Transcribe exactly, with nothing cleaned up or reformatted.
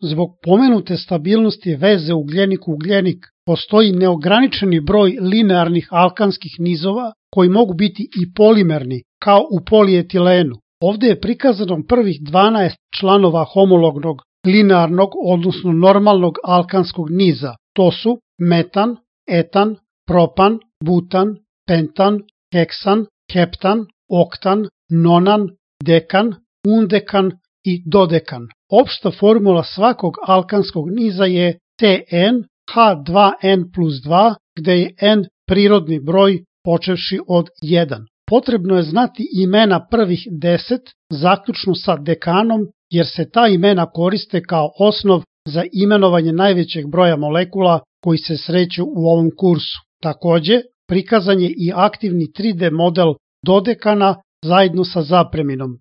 Zbog pomenute stabilnosti veze ugljenik-ugljenik postoji neograničeni broj linearnih alkanskih nizova koji mogu biti i polimerni, kao u polietilenu. Ovde je prikazano prvih dvanaest članova homolognog linearnog, odnosno normalnog alkanskog niza. To su metan, etan, propan, butan, pentan, heksan, heptan, oktan, nonan, dekan, undekan i dodekan. Opšta formula svakog alkanskog niza je T N H dva N plus dva, gde je N prirodni broj počevši od jedan. Potrebno je znati imena prvih deset, zaključno sa dekanom, jer se ta imena koriste kao osnov za imenovanje najvećeg broja molekula koji se sreću u ovom kursu. Takođe, prikazan je i aktivni tri D model dodekana zajedno sa zapreminom.